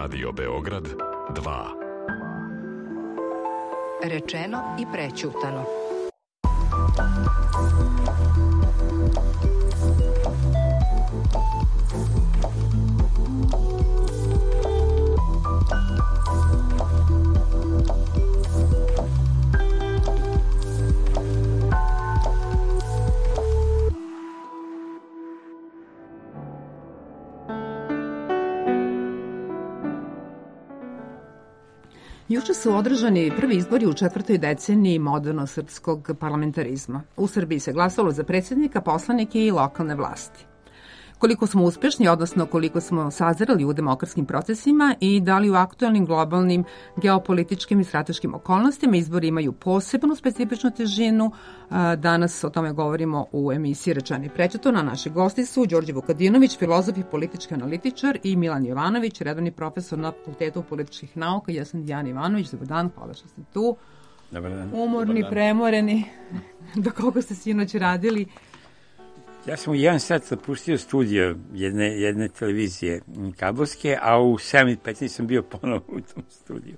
Radio Beograd 2. Rečeno i prećutano. Juče su održani prvi izbori u četvrtoj deceniji moderno srpskog parlamentarizma. U Srbiji se glasalo za predsjednika, poslanike i lokalne vlasti. Koliko smo uspešni, odnosno koliko smo sazreli u demokratskim procesima i da li u aktualnim globalnim geopolitičkim i strateškim okolnostima izbori imaju posebnu specifičnu težinu. Danas o tome govorimo u emisiji Rečeno i prećutano. Naši gosti su Đorđe Vukadinović, filozof i politički analitičar, i Milan Jovanović, redovni profesor na Fakultetu političkih nauka. Ja sam Dijana Ivanović. Dobar dan, hvala što ste tu. Dobar dan. Umorni, premoreni. Do koliko ste sinoć radili? Ja sam u 1 sat zapustio studio jedne televizije kabelske, a u 7:15 sam bio ponovo u tom studiju.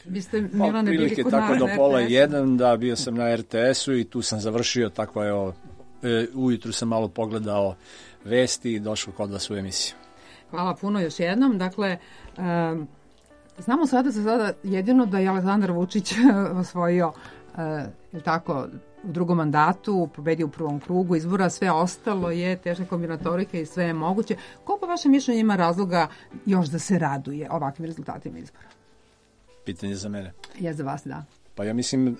Vi ste, Milane, bili kod tako do RTS-u? pola 1, da, bio sam na RTS-u i tu sam završio, tako je, ujutru sam malo pogledao vesti i došao kod vas u emisiju. Hvala puno još jednom. Dakle, znamo sada jedino da je Aleksandar Vučić osvojio, tako, u drugom mandatu, pobedio u prvom krugu izbora, sve ostalo je teška kombinatorika i sve je moguće. Ko po vašem mišljenju ima razloga još da se raduje ovakvim rezultatima izbora? Pitanje za mene. Je za vas, da. Pa ja mislim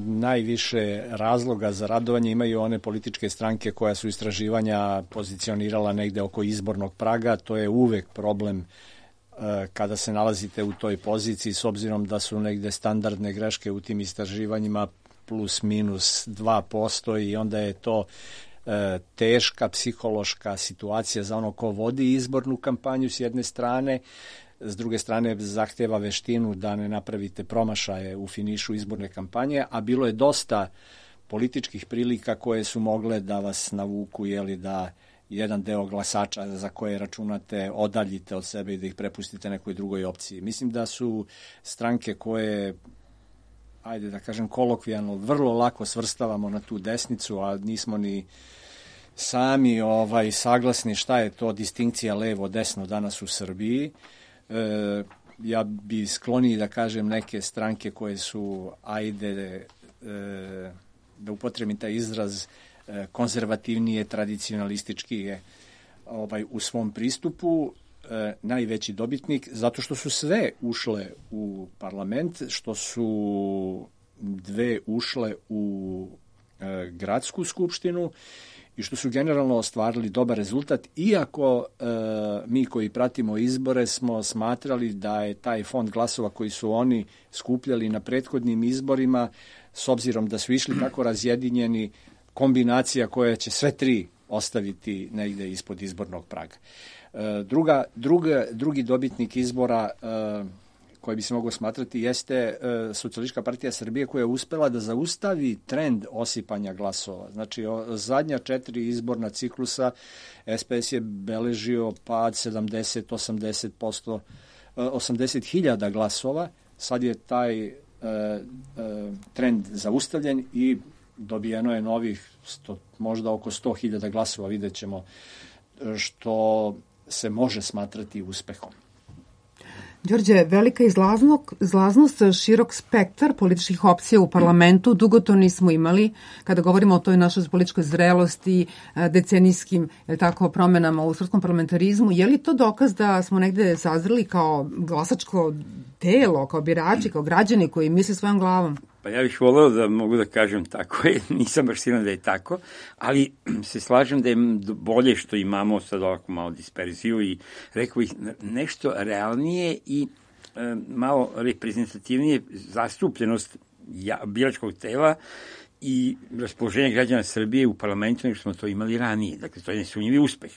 najviše razloga za radovanje imaju one političke stranke koja su istraživanja pozicionirala negde oko izbornog praga. To je uvek problem kada se nalazite u toj poziciji, s obzirom da su negde standardne greške u tim istraživanjima plus minus 2% i onda je to teška psihološka situacija za ono ko vodi izbornu kampanju s jedne strane, s druge strane zahteva veštinu da ne napravite promašaje u finišu izborne kampanje, a bilo je dosta političkih prilika koje su mogle da vas navuku, jeli, da jedan deo glasača za koje računate odaljite od sebe i da ih prepustite nekoj drugoj opciji. Mislim da su stranke koje, ajde da kažem kolokvijalno, vrlo lako svrstavamo na tu desnicu, a nismo ni sami saglasni šta je to distinkcija levo-desno danas u Srbiji. Ja bi skloniji da kažem neke stranke koje su, ajde, da upotrebim taj izraz, konzervativnije, tradicionalistički u svom pristupu, najveći dobitnik, zato što su sve ušle u parlament, što su 2 ušle u gradsku skupštinu i što su generalno ostvarili dobar rezultat, iako mi koji pratimo izbore smo smatrali da je taj fond glasova koji su oni skupljali na prethodnim izborima, s obzirom da su išli tako razjedinjeni, kombinacija koja će sve 3 ostaviti negde ispod izbornog praga. Drugi dobitnik izbora koji bi se mogao smatrati jeste Socijalistička partija Srbije, koja je uspela da zaustavi trend osipanja glasova. Znači, zadnja 4 izborna ciklusa SPS je beležio pad 70-80%, 80.000 glasova. Sad je taj trend zaustavljen i dobijeno je novih možda oko 100.000 glasova, vidjet ćemo, što se može smatrati uspehom. Đorđe, velika izlaznost, širok spektar političkih opcija u parlamentu, dugo to nismo imali. Kada govorimo o toj našoj političkoj zrelosti, decenijskim promenama u srpskom parlamentarizmu, je li to dokaz da smo negde sazreli kao glasačko telo, kao birači, kao građani koji misle svojom glavom? Pa ja bih voleo da mogu da kažem tako je, nisam baš siguran da je tako, ali se slažem da je bolje što imamo sad ovako malo disperziju i rekao bih nešto realnije i malo reprezentativnije zastupljenost biračkog tela i raspoloženje građana Srbije u parlamentu nego što smo to imali ranije. Dakle, to je nesumnjivi uspeh.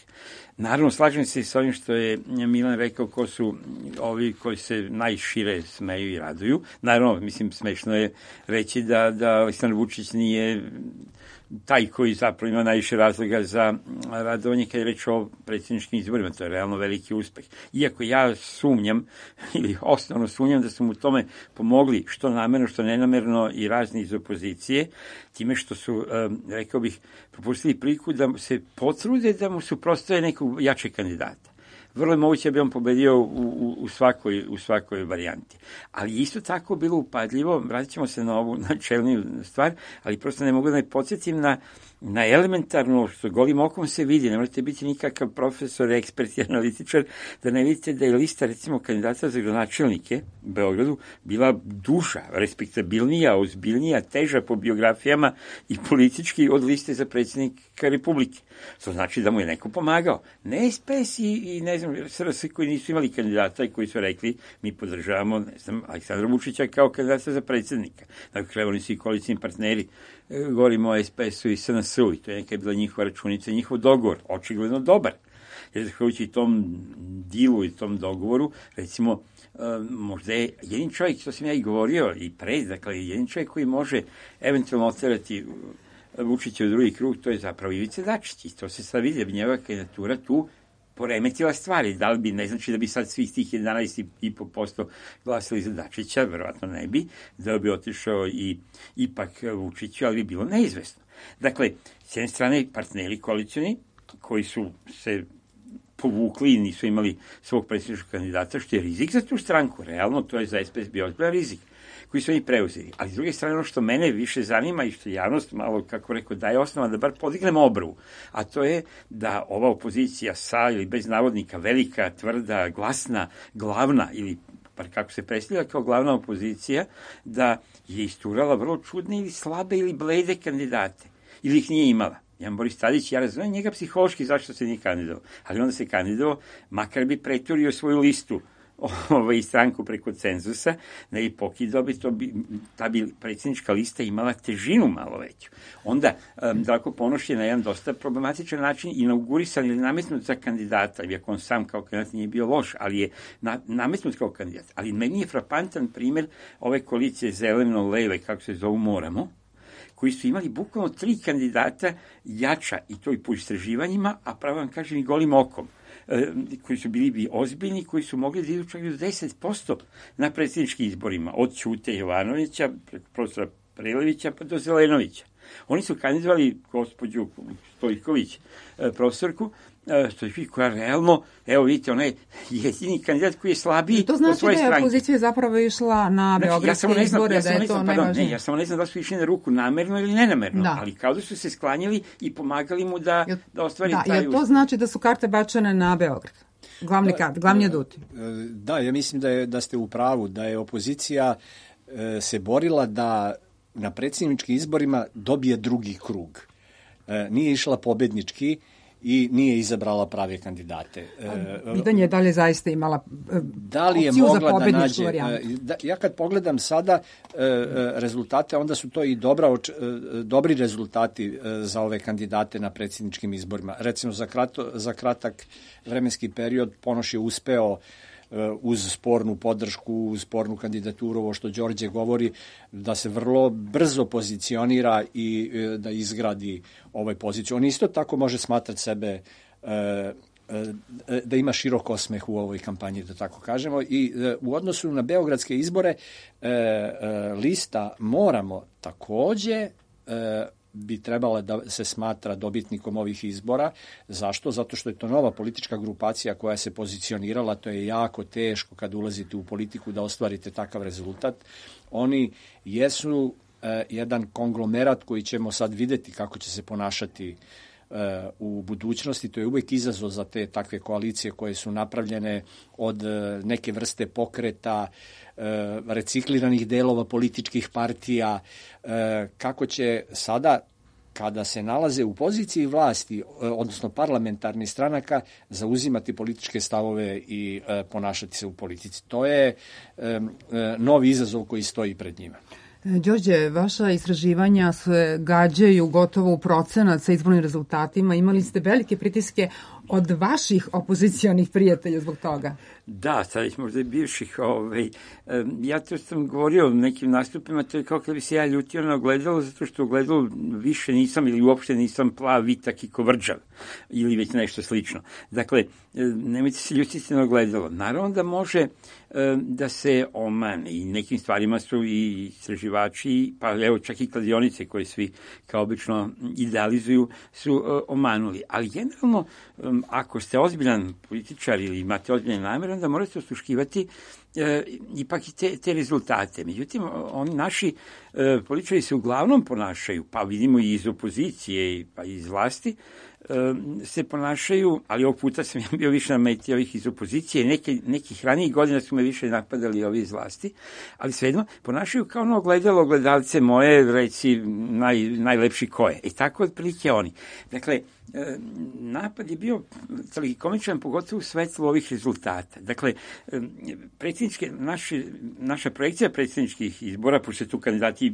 Naravno, slažem se s ovim što je Milan rekao, ko su ovi koji se najšire smeju i raduju. Naravno, mislim, smešno je reći da Aleksandar Vučić nije taj koji zapravo ima najviše razloga za radovanje kad je reč o predsjedničkim izborima. To je realno veliki uspeh. Iako ja sumnjam, ili osnovno sumnjam da su mu tome pomogli, što namerno, što nenamerno, i razni iz opozicije, time što su, rekao bih, propustili priliku da se potrude da mu suprotstave nekog jačeg kandidata. Vrlo je moguće da bi on pobedio u svakoj varijanti. Ali isto tako bilo upadljivo, vratit ćemo se na ovu načelniju stvar, ali prosto ne mogu da ne podsjetim na elementarno, što golim okom se vidi, ne možete biti nikakav profesor, ekspert i analitičar, da ne vidite da je lista, recimo, kandidata za gradonačelnike u Beogradu bila duža, respektabilnija, ozbiljnija, teža po biografijama i politički od liste za predsjednika Republike. To znači da mu je neko pomagao. Ne SPS i ne znam, SRS koji nisu imali kandidata i koji su rekli mi podržavamo, ne znam, Aleksandra Vučića kao kandidata za predsjednika. Dakle, oni su i koalicijni partneri. Govorimo o SPS-u i SNS-u i to je neka bila njihova računica i njihov dogovor, očigledno dobar. Jer zahvaljujući tom dilu i tom dogovoru, recimo, možda je jedin čovjek, što sam ja i govorio i pre, dakle, jedin čovjek koji može eventualno oterati Vučića u drugi krug, to je zapravo Ivica Dačić. I to se sad vidi, da bi njegova kandidatura tu poremetila stvari. Da li bi, ne znači da bi sad svih tih 11,5% glasili za Dačića, verovatno ne bi, da bi otišao i ipak Vučiću, ali bi bilo neizvesno. Dakle, s jedne strane partneri koalicioni, koji su se povukli i nisu imali svog predsjedničkog kandidata, što je rizik za tu stranku. Realno, to je za SPS bio ozbiljan rizik koji su oni preuzeli. Ali s druge strane, ono što mene više zanima i što javnost malo, kako rekao, daje osnova da bar podignemo obrvu, a to je da ova opozicija sa ili bez navodnika velika, tvrda, glasna, glavna ili par kako se predstavlja kao glavna opozicija, da je isturala vrlo čudne ili slabe ili blede kandidate. Ili ih nije imala. Jan Boris Tadić, ja razumem njega psihološki zašto se nije kandidovao, ali onda se kandidovao, makar bi preturio svoju listu stranku preko cenzusa, da je pokidao bi, ta bi predsjednička lista imala težinu malo veću. Onda, Zdravko Ponoš je na jedan dosta problematičan način inaugurisan ili nametnut za kandidata, iako on sam kao kandidat nije bio loš, ali je nametnut kao kandidat. Ali meni je frapantan primjer ove koalicije zeleno-leve, kako se zovu, Moramo, koji su imali bukvalno 3 kandidata jača, i to i po istraživanjima, a pravo vam kažem i golim okom, koji su bili ozbiljni, koji su mogli da idu čak do 10% na predsjedničkim izborima, od Ćute Jovanovića, preko profesora Prelevića pa do Zelenovića. Oni su kandidovali gospođu Stojković, profesorku Stojković, koja realno, evo vidite, ona je jedini kandidat koji je slabiji od svoje stranke. To znači da je opozicija zapravo išla na beogradske izbore, da je to najvažnije. Ja samo ne znam da su išli na ruku namerno ili nenamerno, ali kao da su se sklanjali i pomagali mu da ostvari taj uspeh. Jer to znači da su karte bačene na Beograd? Glavni aduti. Da, ja mislim da ste u pravu, da je opozicija se borila da na predsjedničkim izborima dobije drugi krug. Nije išla pobednički i nije izabrala prave kandidate. Pitanje je da li je zaista imala opciju za pobedničku varijantu. Ja kad pogledam sada rezultate, onda su to i dobri rezultati za ove kandidate na predsjedničkim izborima. Recimo, za kratak vremenski period Ponoš je uspeo uz spornu podršku, uz spornu kandidaturu, ovo što Đorđe govori, da se vrlo brzo pozicionira i da izgradi ovaj poziciju. On isto tako može smatrati sebe da ima širok osmeh u ovoj kampanji, da tako kažemo. I u odnosu na beogradske izbore lista Moramo takođe bi trebala da se smatra dobitnikom ovih izbora. Zašto? Zato što je to nova politička grupacija koja se pozicionirala. To je jako teško kad ulazite u politiku da ostvarite takav rezultat. Oni jesu jedan konglomerat koji ćemo sad videti kako će se ponašati u budućnosti. To je uvijek izazov za te takve koalicije koje su napravljene od neke vrste pokreta, recikliranih delova političkih partija, kako će sada, kada se nalaze u poziciji vlasti, odnosno parlamentarnih stranaka, zauzimati političke stavove i ponašati se u politici. To je novi izazov koji stoji pred njima. Đorđe, vaša istraživanja se gađaju gotovo u procenat sa izbornim rezultatima. Imali ste velike pritiske od vaših opozicionih prijatelja zbog toga? Da, sad već možda i bivših. Ja to sam govorio u nekim nastupima, to je kao kada bi se ja ljutio na ogledalo, zato što ogledalo više nisam ili uopšte nisam plav, vitak i kovrđav ili već nešto slično. Dakle, nemojte se ljutiti na ogledalo. Naravno da može da se omane i nekim stvarima su i istraživači, pa evo čak i kladionice koje svi kao obično idealizuju su omanuli. Ali generalno, ako ste ozbiljan političar ili imate ozbiljan namer, onda morate osluškivati ipak i te rezultate. Međutim, oni naši političari se uglavnom ponašaju, pa vidimo i iz opozicije pa i iz vlasti, se ponašaju, ali ovog puta sam ja bio više na meti ovih iz opozicije, nekih ranijih godina su me više napadali ovi iz vlasti, ali svejedno ponašaju kao ono ogledalce moje, reci najlepši ko je. I tako otprilike oni. Dakle, napad je bio tragikomičan, pogotovo u svetlu ovih rezultata. Dakle, naša projekcija predsjedničkih izbora, pošto tu kandidati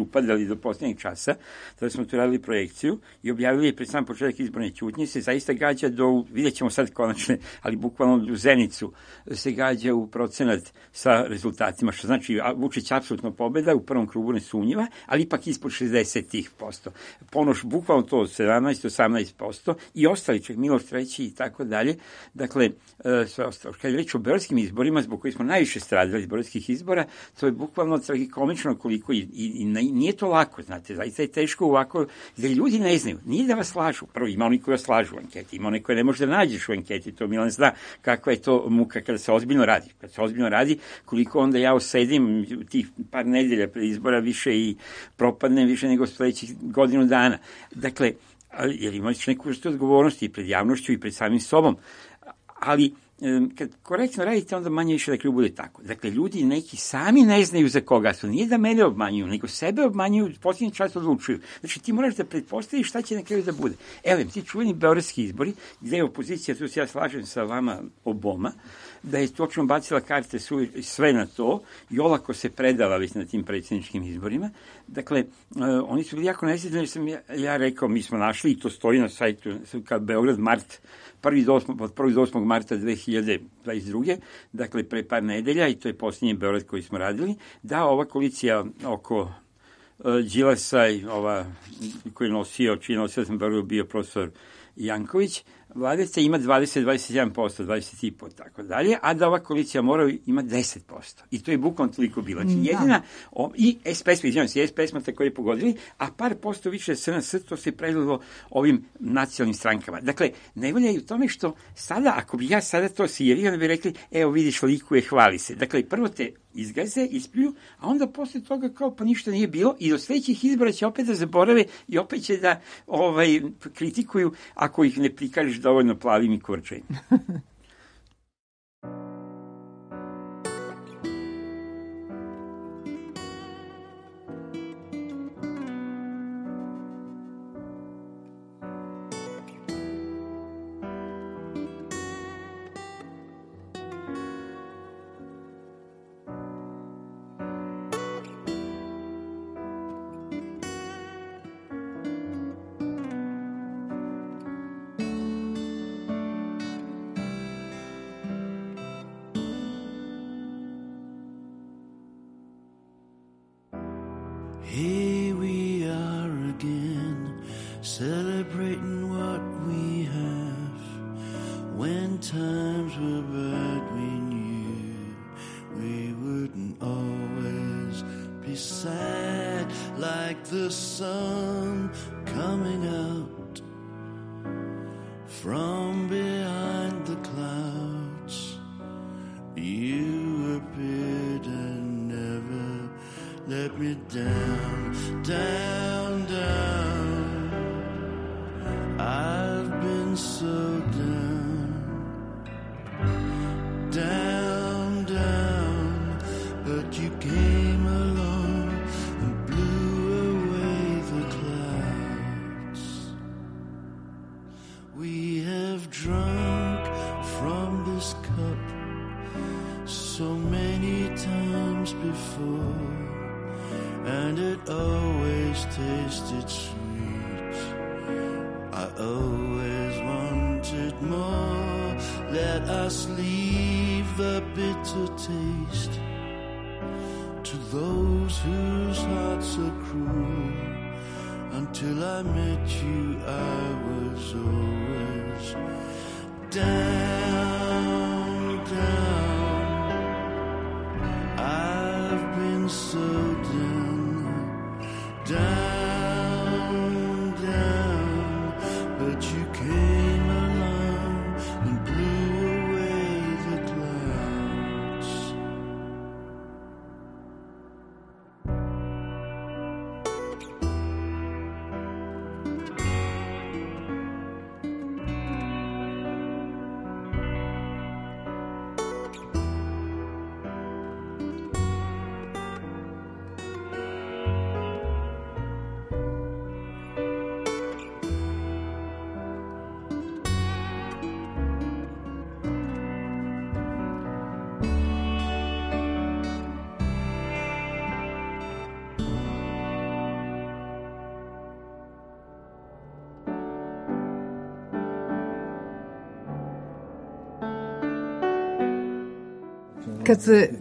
upadali do posljednjeg časa, tada smo tu radili projekciju i objavili je pred sam početak izborne ćutnje, se zaista gađa vidjet ćemo sad konačne, ali bukvalno u zenicu se gađa u procenat sa rezultatima, što znači Vučić apsolutno pobeda, u prvom krugu nesumnjiva, ali ipak ispod 60%. Ponoš bukvalno to 17-18% i ostali, čak Miloš III i tako dalje. Dakle, sve ostalo. Kad je reč o beogradskim izborima, zbog koji smo najviše stradili iz beogradskih izbora, to je bukvalno tragikomično koliko i nije to lako, znate, zaista je teško ovako, jer ljudi ne znaju, nije da vas slažu. Prvo, ima oni koji vas slažu u anketi, ima oni koji ne može da nađeš u anketi, to Milan zna kakva je to muka kada se ozbiljno radi. Kad se ozbiljno radi, koliko onda ja osedim tih par nedelja pred izbora više i propadnem više nego sledećih godinu dana. Dakle, jer imaš neku vrstu odgovornosti i pred javnošću i pred samim sobom. Ali kad korektno radite, onda manje više dakle bude tako. Dakle, ljudi neki sami ne znaju za koga su. Nije da mene obmanjuju, nego sebe obmanjuju, posljednji čas odlučuju. Znači, ti moraš da pretpostaviš šta će na kraju da bude. Evo, ti čuveni beogradski izbori, gde je opozicija, tu se ja slažem sa vama oboma, da je točno bacila karte sve na to i olako se predala već na tim predsjedničkim izborima. Dakle, oni su bili jako nesretni, jer sam ja rekao, mi smo našli, i to stoji na sajtu kao Beograd Mart, od 1. do 8. marta 2022. Dakle, pre par nedelja, i to je posljednji Beograd koji smo radili, da ova koalicija oko Đilasa i koji je nosio, čiji nosio sam Beogradu bio profesor Janković, Vladica ima 20-21%, 20,5%, tako dalje, a da ova koalicija mora ima 10%. I to je bukvalno toliko bilo. Znači, jedina, i SPS smo takođe pogodili, a par posto više SNS, to se predalo ovim nacionalnim strankama. Dakle, najbolje je u tome što sada, ako bi ja sada to sirio, da bi rekli, evo vidiš, likuje, hvali se. Dakle, prvo te izgaze, ispljuju, a onda posle toga kao pa ništa nije bilo i do sledećih izbora će opet da zaborave i opet će da kritikuju ako ih ne prikažeš dovoljno plavim i kurčajim. Here we are again, celebrating what we have. When times were bad, we knew we wouldn't always be sad, like the sun coming out from behind the clouds. You appeared and never let me down, down, down. I've been so down, down, down. But you came along and blew away the clouds. We have drunk from this cup so many times before, and it always tasted sweet. I always wanted more. let us leave the bitter taste to those whose hearts are cruel. Until I met you, I was always down, down. I've been so down, down, down. But you came along and blew away the clouds.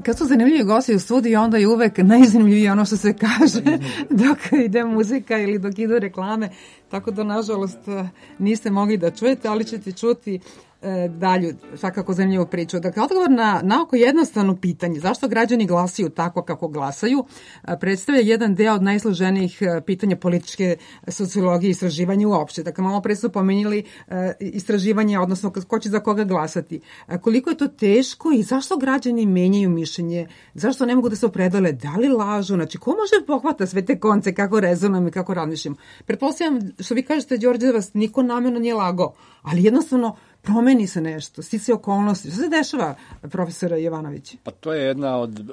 Kad su zanimljivi gosti u studiju, onda je uvek najzanimljivije ono što se kaže dok ide muzika ili dok idu reklame, tako da nažalost niste mogli da čujete, ali ćete čuti dalju, svakako zanimljivu priču. Dakle, odgovor na oko jednostavno pitanje, zašto građani glasaju tako kako glasaju, predstavlja jedan deo od najsloženijih pitanja političke sociologije i istraživanja uopšte. Dakle, malo pre su pomenuli istraživanje, odnosno ko će za koga glasati. Koliko je to teško i zašto građani menjaju mišljenje, zašto ne mogu da se opredele, da li lažu, znači ko može pohvata sve te konce, kako rezonujem i kako razmišljam. Pretpostavljam, što vi kažete, Đorđe, da vas niko namerno nije lagao, ali jednostavno promeni se nešto, stice okolnosti. Što se dešava, profesora Jovanović? Pa to je jedna od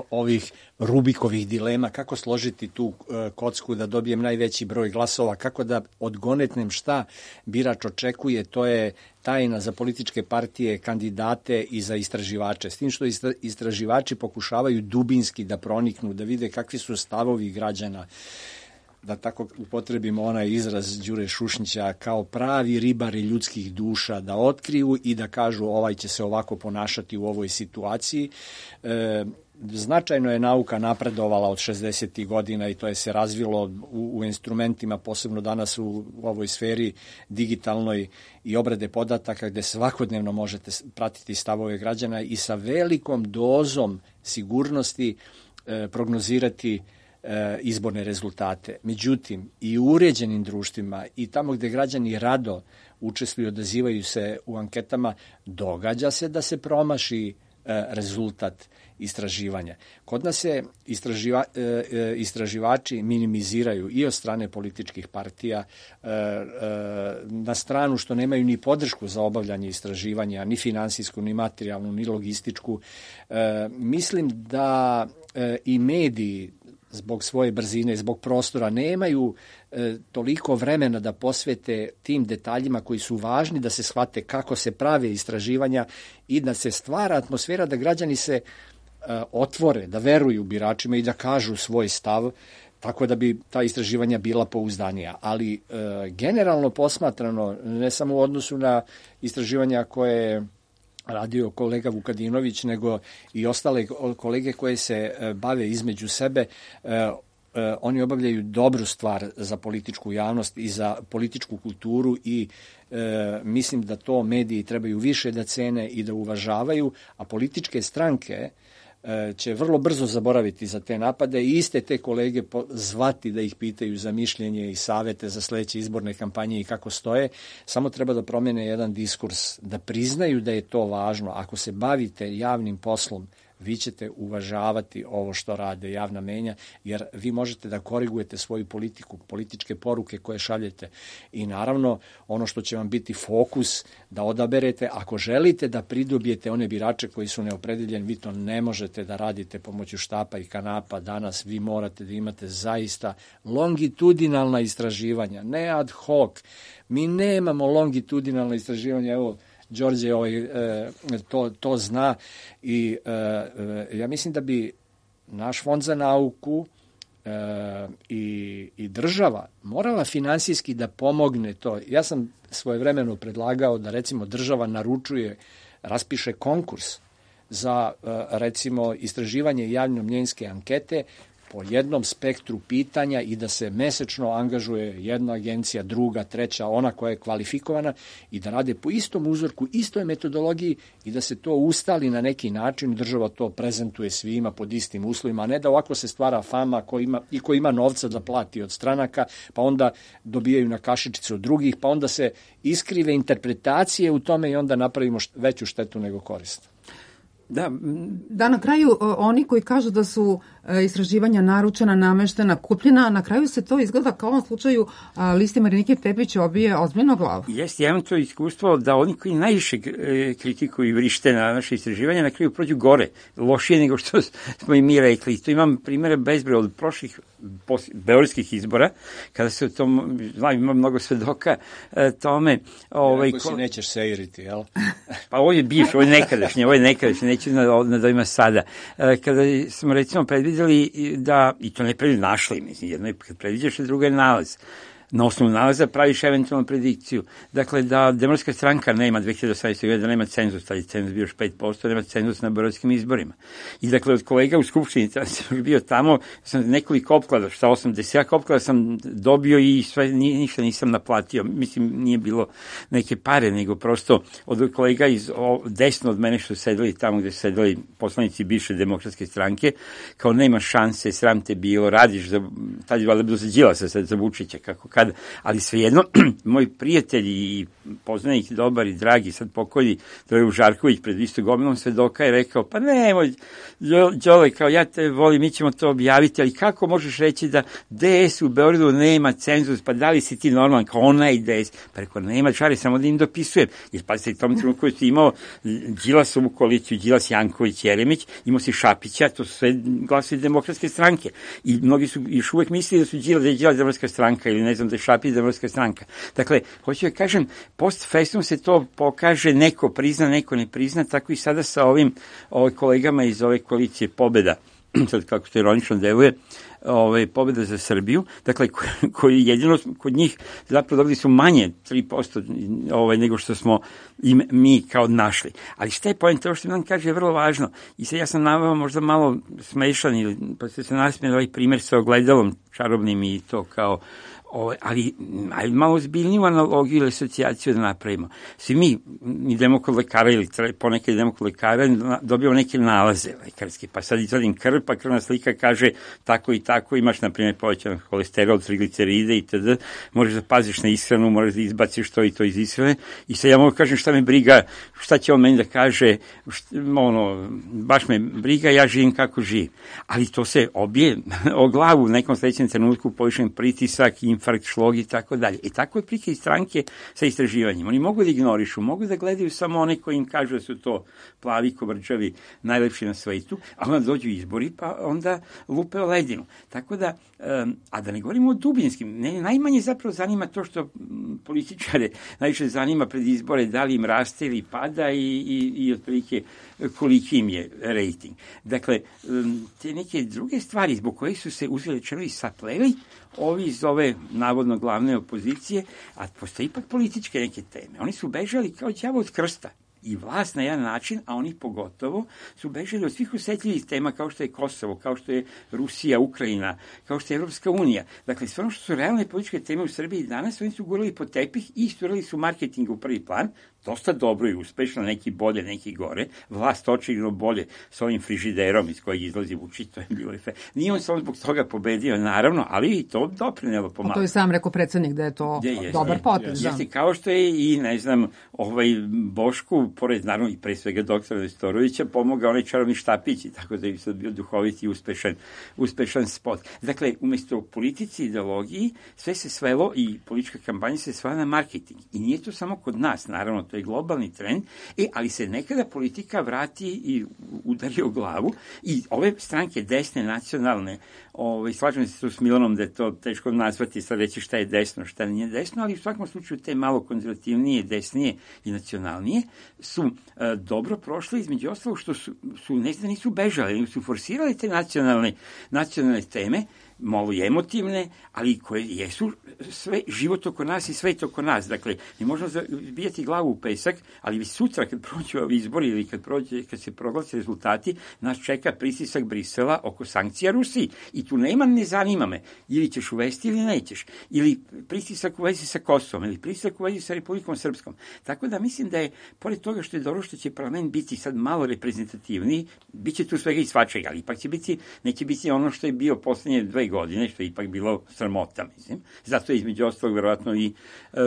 ovih Rubikovih dilema, kako složiti tu kocku da dobijem najveći broj glasova, kako da odgonetnem šta birač očekuje, to je tajna za političke partije, kandidate i za istraživače. S tim što istraživači pokušavaju dubinski da proniknu, da vide kakvi su stavovi građana, da tako upotrebimo onaj izraz Đure Šušnića, kao pravi ribari ljudskih duša, da otkriju i da kažu ovaj će se ovako ponašati u ovoj situaciji. Značajno je nauka napredovala od 60. godina i to je se razvilo u instrumentima, posebno danas u ovoj sferi digitalnoj i obrade podataka, gde svakodnevno možete pratiti stavove građana i sa velikom dozom sigurnosti prognozirati izborne rezultate. Međutim, i u uređenim društvima i tamo gde građani rado učestvuju, odazivaju se u anketama, događa se da se promaši rezultat istraživanja. Kod nas se istraživači minimiziraju i od strane političkih partija na stranu što nemaju ni podršku za obavljanje istraživanja, ni finansijsku, ni materijalnu, ni logističku. Mislim da i mediji zbog svoje brzine, zbog prostora, nemaju toliko vremena da posvete tim detaljima koji su važni da se shvate kako se prave istraživanja i da se stvara atmosfera da građani se otvore, da veruju biračima i da kažu svoj stav, tako da bi ta istraživanja bila pouzdanija. Ali generalno posmatrano, ne samo u odnosu na istraživanja koje je radio kolega Vukadinović, nego i ostale kolege koje se bave između sebe, oni obavljaju dobru stvar za političku javnost i za političku kulturu i mislim da to mediji trebaju više da cene i da uvažavaju, a političke stranke će vrlo brzo zaboraviti za te napade i iste te kolege zvati da ih pitaju za mišljenje i savete za sledeće izborne kampanje i kako stoje. Samo treba da promene jedan diskurs, da priznaju da je to važno. Ako se bavite javnim poslom, vi ćete uvažavati ovo što rade javna menja, jer vi možete da korigujete svoju politiku, političke poruke koje šaljete. I naravno, ono što će vam biti fokus da odaberete, ako želite da pridobijete one birače koji su neopredeljeni, vi to ne možete da radite pomoću štapa i kanapa. Danas vi morate da imate zaista longitudinalna istraživanja, ne ad hoc. Mi nemamo longitudinalna istraživanja, evo, Đorđe to zna i ja mislim da bi naš fond za nauku i država morala finansijski da pomogne to. Ja sam svojevremeno predlagao da recimo država raspiše konkurs za recimo istraživanje javno-mnjenjske ankete po jednom spektru pitanja i da se mesečno angažuje jedna agencija, druga, treća, ona koja je kvalifikovana i da rade po istom uzorku, istoj metodologiji i da se to ustali na neki način, država to prezentuje svima pod istim uslovima, a ne da ovako se stvara fama ko ima novca da plati od stranaka, pa onda dobijaju na kašičicu od drugih, pa onda se iskrive interpretacije u tome i onda napravimo veću štetu nego korist. Da, na kraju oni koji kažu da su istraživanja naručena, nameštena, kupljena, na kraju se to izgleda kao u ovom slučaju listi Marinike Tepić obije ozbiljno glavu. Jeste, ja imam to iskustvo da oni koji najviše kritikuju i vrište na naše istraživanja na kraju prođu gore, lošije nego što smo i mi rekli. To imam primjere bezbroj od prošlih beogradskih izbora, kada se o tom, ima mnogo svedoka tome. Ako si nećeš seiriti, jel? Pa ovo je bivše, ovo je nekadašnje, neću na dojma sada. Kada smo recimo predvidjeli da, i to ne našli, mislim, jedno je kad predviđaš, a drugo je nalaz. Na osnovu nalaza praviš eventualnu predikciju. Dakle, da Demokratska stranka nema 2018. godine, da nema cenzus, taj cenzus bio još 5%, nema cenzus na beogradskim izborima. I dakle, od kolega u Skupštini, sam bio tamo, sam nekoliko opklada, šta 80 opklada sam dobio i sve, ništa nisam naplatio. Mislim, nije bilo neke pare, nego prosto od kolega desno od mene što su sedeli tamo gde su sedeli poslanici bivše Demokratske stranke, kao nema šanse, sram te bilo, radiš za, tad je valjda bilo za Đilasa, sad za Vučića, kako kad, ali svejedno, moj prijatelj i poznanik dobar i dragi, sad pokojni Drago Žarković pred istom gomilom svedoka je rekao, pa nemoj, Đole, kao ja te volim, mi ćemo to objaviti, ali kako možeš reći da DS u Beogradu nema cenzus, pa da li si ti normalan, kao onaj DS, pa rekao, nema čari, samo da im dopisujem, jer pa se tom trenutku koji si imao Đilasovu koaliciju, Đilas, Janković, Jeremić, imao si Šapića, to su sve glasovi Demokratske stranke, i mnogi su još uvek mislili da su Đilas Demokratska stranka, ili ne znam da je Šapić Demokratska stranka. Dakle, hoću da kažem, post festum se to pokaže, neko prizna, neko ne prizna, tako i sada sa ovim kolegama iz ove koalicije Pobeda, sad kako to ironično deluje, Pobeda za Srbiju, dakle, koji jedino kod njih zapravo dobili su manje 3% nego što smo mi kao našli. Ali šta je poenta? To što nam kaže je vrlo važno. I sad ja sam naveo možda malo smešan, pa ste se nasmijeli ovaj primjer sa ogledalom čarobnim i to kao ali malo ozbiljniju analogiju ili asocijaciju da napravimo. Svi mi idemo kod lekara ili ponekad idemo kod lekara, dobijamo neke nalaze lekarske, pa sad izvadim krv, pa krvna slika kaže tako i tako, imaš na primjer povećan holesterol, trigliceride itd. Možeš da paziš na ishranu, možeš da izbaciš to i to iz ishrane i sad ja mogu kažem šta me briga, šta će on meni da kaže, baš me briga, ja živim kako živim. Ali to se obije o glavu u nekom sledećem trenutku, povišen pritisak, infarkt, šlog i tako dalje. I tako je prika i stranke sa istraživanjima. Oni mogu da ignorišu, mogu da gledaju samo one koji im kažu da su to plavi, kovrđavi, najlepši na svetu, a onda dođu izbori, pa onda lupe o ledinu. Tako da, a da ne govorimo o dubinskim, najmanje zapravo zanima to što političare najviše zanima pred izbore, da li im raste ili pada i otprilike koliki im je rejting. Dakle, te neke druge stvari zbog kojih su se uzeli čeli i sapleli ovi iz ove navodno glavne opozicije, a postoje ipak političke neke teme. Oni su bežali kao đavo od krsta. I vlast na jedan način, a oni pogotovo, su bežali od svih osetljivih tema kao što je Kosovo, kao što je Rusija, Ukrajina, kao što je Evropska unija. Dakle, sve ono što su realne političke teme u Srbiji danas, oni su gurali pod tepih i isturali su marketing u prvi plan, dosta dobro i uspešno, neki bolje, neki gore. Vlast očigledno bolje sa ovim frižiderom iz kojeg izlazi Vučić, to je bilo efekt. Nije on samo zbog toga pobedio, naravno, ali i to doprinelo pomalo. To je sam rekao predsjednik da je to dobar potez. Jeste, kao što je i, ne znam, Bošku, pored naravno i pre svega doktora Nestorovića, pomogao onaj čarobni štapić, tako da je sad bio duhovit i uspešan spot. Dakle, umesto politici i ideologiji, sve se svelo i politička kampanja se svela na marketing. I nije to samo kod nas, naravno, to je globalni trend, ali se nekada politika vrati i udari o glavu i ove stranke desne, nacionalne, slažem se tu s Milanom da je to teško nazvati, sad reći šta je desno, šta nije desno, ali u svakom slučaju te malo konzervativnije, desnije i nacionalnije su dobro prošle, između ostalog što su nisu bežali, nego su forsirali te nacionalne teme, malo i emotivne, ali koje jesu sve život oko nas i svet oko nas. Dakle, ne možemo zabijati glavu u pesak, ali već sutra kad prođu ovi izbori ili kad se proglase rezultati, nas čeka pritisak Brisela oko sankcija Rusiji. I tu nema ne zanima me, ili ćeš uvesti ili nećeš. Ili pritisak u vezi sa Kosovom, ili pritisak u vezi sa Republikom Srpskom. Tako da mislim da je, pored toga što je dobro što će parlament biti sad malo reprezentativniji, bit će tu svega i svačega, ali ipak neće biti ono što je bio poslednje 2 godine, što je ipak bilo sramota, mislim. Zato je između ostalog verovatno i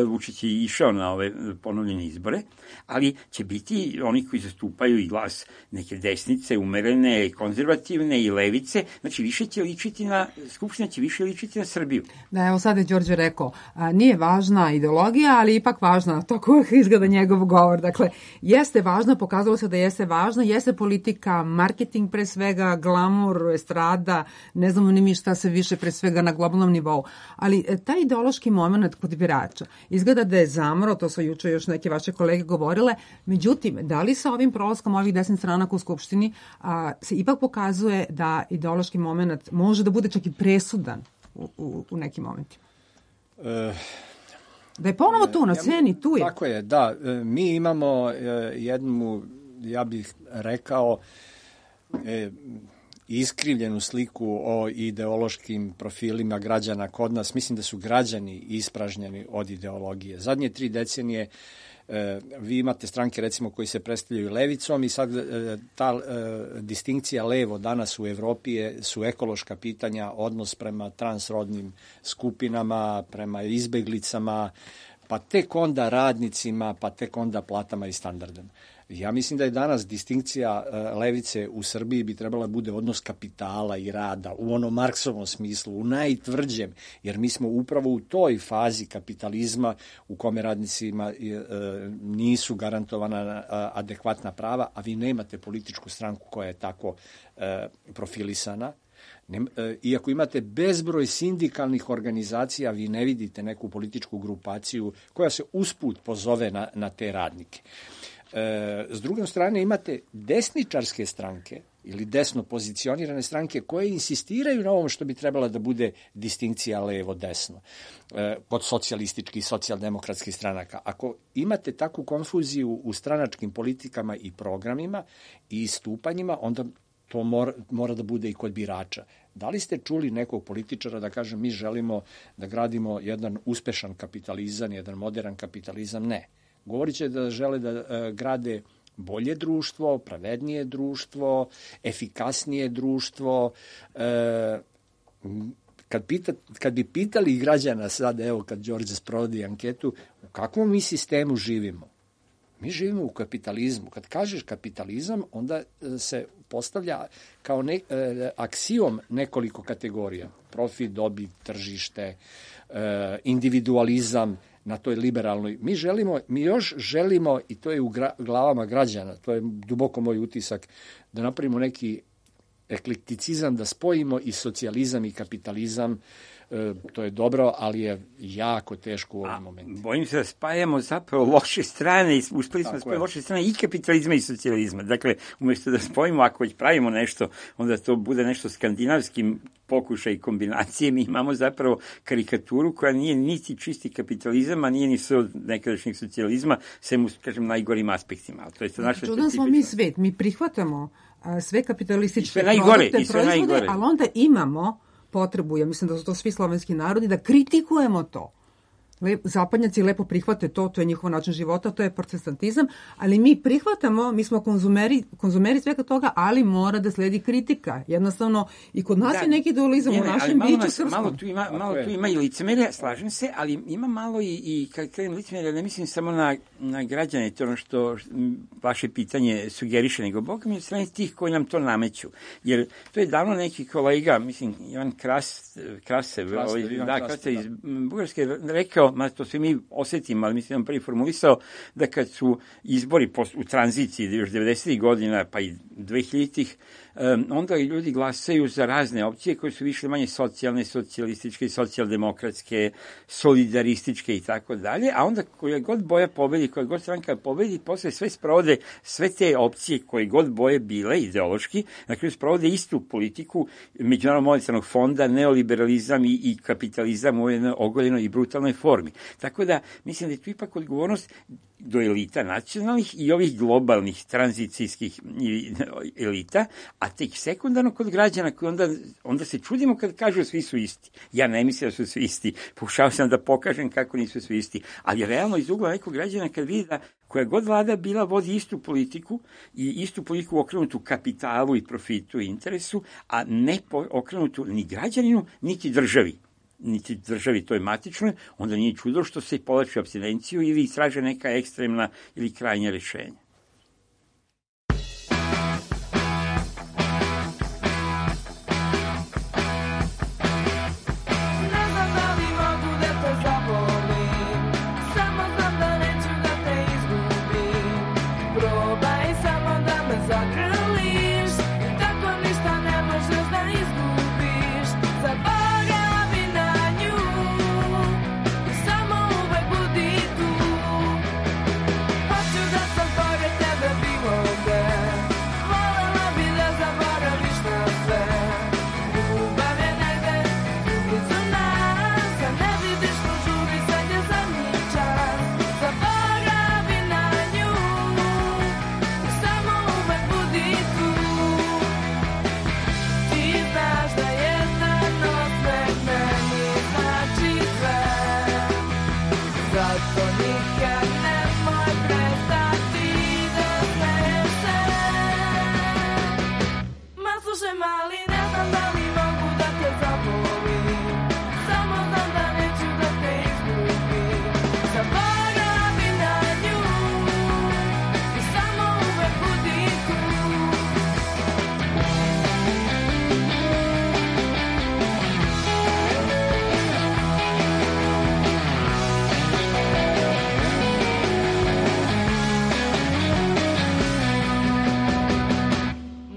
Vučić i išao na ove ponovljene izbore, ali će biti oni koji zastupaju i glas neke desnice, umerene, konzervativne i levice, znači više će ličiti na, Skupština će više ličiti na Srbiju. Da, evo sad je Đorđe rekao, nije važna ideologija, ali ipak važna, tako izgleda njegov govor. Dakle, jeste važno, pokazalo se da jeste važno, jeste politika, marketing pre svega, glamur, estrada, ne znamo ni mi šta se više pre svega na globalnom nivou. Ali taj ideološki moment kod birača izgleda da je zamro, to su juče još neke vaše kolege govorile, međutim, da li sa ovim prolaskom ovih 10 stranaka u Skupštini se ipak pokazuje da ideološki moment može da bude čak i presudan u nekim momentima? Da je ponovo tu, na sceni, tu je. Tako je, da. Mi imamo jednu, ja bih rekao, iskrivljenu sliku o ideološkim profilima građana kod nas. Mislim da su građani ispražnjeni od ideologije. Zadnje 3 decenije vi imate stranke recimo koji se predstavljaju levicom i sad ta distinkcija levo danas u Evropi su ekološka pitanja, odnos prema transrodnim skupinama, prema izbeglicama, pa tek onda radnicima, pa tek onda platama i standardima. Ja mislim da je danas distinkcija levice u Srbiji bi trebala bude odnos kapitala i rada u onom Marksovom smislu, u najtvrđem, jer mi smo upravo u toj fazi kapitalizma u kome radnicima nisu garantovana adekvatna prava, a vi nemate političku stranku koja je tako profilisana. Iako imate bezbroj sindikalnih organizacija, vi ne vidite neku političku grupaciju koja se usput pozove na te radnike. S druge strane imate desničarske stranke ili desno pozicionirane stranke koje insistiraju na ovom što bi trebala da bude distinkcija levo-desno kod socijalističkih i socijaldemokratskih stranaka. Ako imate takvu konfuziju u stranačkim politikama i programima i istupanjima, onda to mora da bude i kod birača. Da li ste čuli nekog političara da kaže mi želimo da gradimo jedan uspešan kapitalizam, jedan modern kapitalizam? Ne. Govorit će da žele da grade bolje društvo, pravednije društvo, efikasnije društvo. Kad bi pitali građana sad, evo kad Đorđe sprovodi anketu, u kakvom mi sistemu živimo? Mi živimo u kapitalizmu. Kad kažeš kapitalizam, onda se postavlja kao aksijom nekoliko kategorija. Profit, dobit, tržište, individualizam na toj liberalnoj. Mi još želimo, i to je u glavama građana, to je duboko moj utisak, da napravimo neki eklekticizam, da spojimo i socijalizam i kapitalizam. To je dobro, ali je jako teško u ovom momentu. Bojim se da spajamo zapravo loše strane, uspeli smo da spojimo loše strane i kapitalizma i socijalizma. Dakle, umjesto da spojimo, ako već pravimo nešto, onda to bude nešto skandinavskim pokušaj kombinacije, mi imamo zapravo karikaturu koja nije niti čisti kapitalizam, a nije ni od nekadašnjeg socijalizma, sem u, kažem, najgorim aspektima. To je naša čudan smo mi svet, mi prihvatamo sve kapitalističke proizvode, ali onda imamo potrebu, ja mislim da su to svi slovenski narodi, da kritikujemo to. Zapadnjaci lepo prihvate to je njihov način života, to je protestantizam, ali mi prihvatamo, mi smo konzumeri svega toga, ali mora da sledi kritika. Jednostavno, i kod nas je neki dualizam u našem biću srpskom. Malo tu ima i licemerja, slažem se, ali ima malo i kad kažem licemerja, ne mislim samo na građane, to ono što vaše pitanje sugeriše, nego Bog mi od strane tih koji nam to nameću. Jer to je davno neki kolega, mislim, Ivan Krasev iz Bugarske rekao, to svi mi osetimo, ali mislim da prvi formulisao da kad su izbori u tranziciji još 90. godina pa i 2000-ih onda ljudi glasaju za razne opcije koje su više manje socijalne, socijalističke, socijaldemokratske, solidarističke i tako dalje, a onda koja god boja pobedi, koja god stranka pobedi, posle sve sprovode, sve te opcije koje god boje bile ideološki, na kraju sprovode istu politiku Međunarodnog monetarnog fonda, neoliberalizam i kapitalizam u jednoj ogoljenoj i brutalnoj formi. Tako da, mislim da je tu ipak odgovornost do elita nacionalnih i ovih globalnih tranzicijskih elita, a tek sekundarno kod građana koji onda se čudimo kad kažu svi su isti. Ja ne mislim da su svi isti. Pokušao sam da pokažem kako nisu svi isti. Ali realno iz ugla nekog građana kad vidi da koja god vlada bila vodi istu politiku i istu politiku okrenutu kapitalu i profitu i interesu, a ne okrenutu ni građaninu, niti državi toj matičnoj, onda nije čudo što se povlači apstinenciju ili istraže neka ekstremna ili krajnja rešenja.